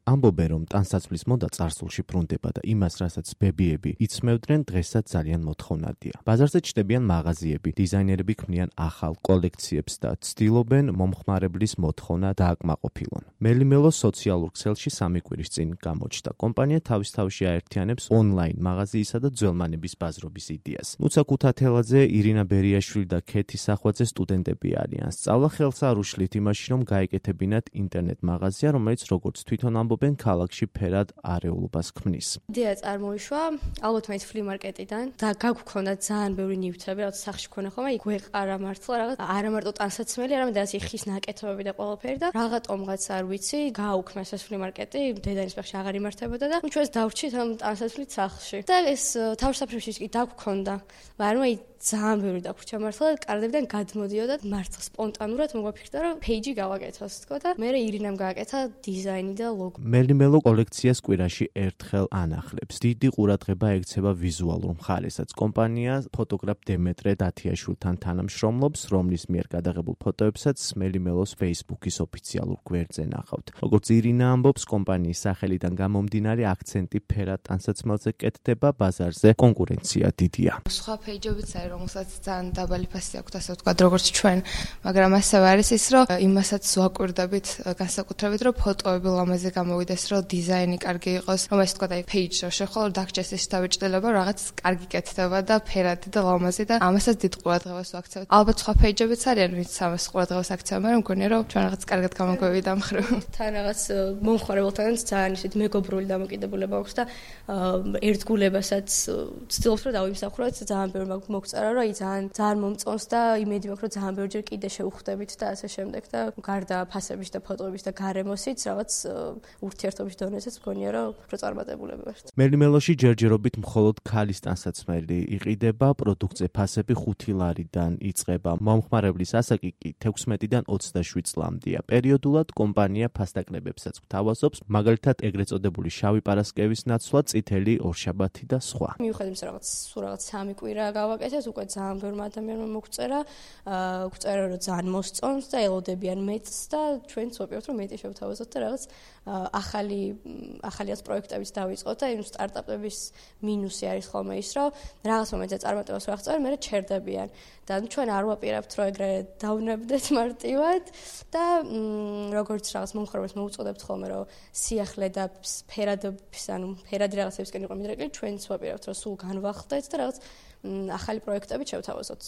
ამბობენ, რომ ტანსაცმლის მოდა წარსულში ბრუნდება და იმას, რასაც ბებიები იცმევდნენ, დღესაც ძალიან მოთხოვნადია. ბაზარზე ჩნდებიან მაღაზიები, დიზაინერები ქმნიან ახალ კოლექციებს და ცდილობენ მომხმარებლის მოთხოვნა დააკმაყოფილონ. მელიმელო სოციალურ ქსელში 3 კვირის წინ გამოჩნდა. კომპანია თავის-თავში აერთიანებს ონლაინ მაღაზიისა და ძველმანების ბაზრობის იდეას. ნუცა ქუთათელაძე, ირინა ბერიაშვილი და ქეთი სახვაძე სტუდენტები არიან. სწავლა ხელს არ უშლით იმაში, რომ გაეკეთებინათ ინტერნეტ მაღაზია, რომელიც როგორც თვითონ ამბობენ, ქალაქში ფერად არეულობას ქმნის. იდეა წარმოიშვა ალბათ მაინც ფლიმარკეტიდან და გაგვქონდა ძალიან ბევრი ნივთები, რაც სახში ქონა ხოლმე, იქ ვეყარა მართლა რაღაც არა მარტო ტანსაცმელი, არამედ ასე ხის ნაკეთობები და ყველაფერი და რაღაცომღაც არ ვიცი, გააუქმეს ეს ფლიმარკეტი, დედანის ბაღში აღარ იმართებოდა და ჩვენს დავრჩით ამ ტანსაცმლის სახლში. და ეს თავშესაფრებში კი დაგვქონდა, მაგრამ აი ძალიან ბევრი დაგვრჩა მართლა და კარდებიდან გადმოდიოდა და მართლა სპონტანურად მოგვაფიქრდა, რომ პეიჯი გავაკეთოს თქო და მე ირინამ გააკეთა დიზაინი და ლოგო. მელიმელო კოლექციას კვირაში ერთხელ ანახლებს. დიდი ყურადღება ექცევა ვიზუალურ მხარესაც. კომპანია ფოტოგრაფ დემეტრე დათიაშვილთან თანამშრომლობს, რომლის მიერ გადაღებულ ფოტოებსაც მელიმელოს Facebook-ის ოფიციალურ გვერდზე ნახავთ. როგორც ირინა ამბობს, კომპანიის სახელიდან გამომდინარე აქცენტი ფერად ტანსაცმელზე კეთდება, ბაზარზე კონკურენცია დიდია. სხვა პეიჯებიც არის, რომელსაც ძალიან დაბალი ფასი აქვს, ასე ვთქვათ, როგორც ჩვენ, მაგრამ ასევე არის ის, რომ იმასაც ვაკვირდებით განსაკუთრებით, რომ ფოტოები ლამაზი გამოვიდეს, რომ დიზაინი კარგი იყოს, რომ ეს ვთქვათ, აი პეიჯი რო შეხვალ დაგჭეს ის დავიჭდება, რაღაც კარგი კეთდება და ფერადი და ლამაზი და ამასაც დიდ ყურადღებას ვაქცევთ. ალბათ სხვა პეიჯებიც არიან, ვინც ამას ყურადღებას აქცევენ, მაგრამ მგონია, რომ ჩვენ რაღაც კარგად გამოგვევიდა ამ მხრივ. თან რაღაც მომხმარებელთანაც ძალიან ისეთ მეგობრული დამოკიდებულება აქვს და ერთგულებასაც ვცდილობთ, რომ დავიმსახუროთ, ძალიან ბევრი მოგწერა, რომ აი ძალიან მომწონს და იმედი მაქვს, რომ ძალიან ბევრჯერ კიდე შევხვდებით და ასე შემდეგ და გარდა ფასების და ფოტოების და გარემოსიც რაღაც ურთიერთობის დონეზეც მგონია, რომ უფრო წარმატებულები ვართ. მელიმელოში ჯერჯერობით მხოლოდ ქალის ტანსაცმელი იყიდება, პროდუქტზე ფასები 5 ლარიდან იწყება. მომხმარებლის ასაკი კი 16-დან 27 წლამდეა. პერიოდულად კომპანია ფასდაკლებებსაც გვთავაზობს, მაგალითად ეგრეთ წოდებული შავი პარასკევის ნაცვლად, წითელი ორშაბათი და სხვა. მიუხედავად იმისა, რაღაც 3 კვირა გავაკეთეთ, უკვე ძალიან ბევრმა ადამიანმა მოგწერა, გვწერა, რომ ძალიან მოსწონს და ელოდებიან მეტს და ჩვენც ვაპირებთ, რომ მეტი შევთავაზოთ და რაღაც ახალიაც პროექტებიც დავიწყოთ და იმ სტარტაპების მინუსი არის ხოლმე ის, რომ რაღაც მომენტზე წარმატებას ვაღწევენ, მერე ჩერდებიან და ჩვენ არ ვაპირებთ, რომ ეგრე დავნებდეთ მარტივად და როგორც რაღაც მომხმარებელს მოუწოდებთ ხოლმე, რომ სიახლე და ფერადი რაღაცებისკენ იყო მიდრეკილი, ჩვენც ვაპირებთ, რომ სულ განვახდეთ და რაღაც ახალი პროექტები შევთავაზოთ.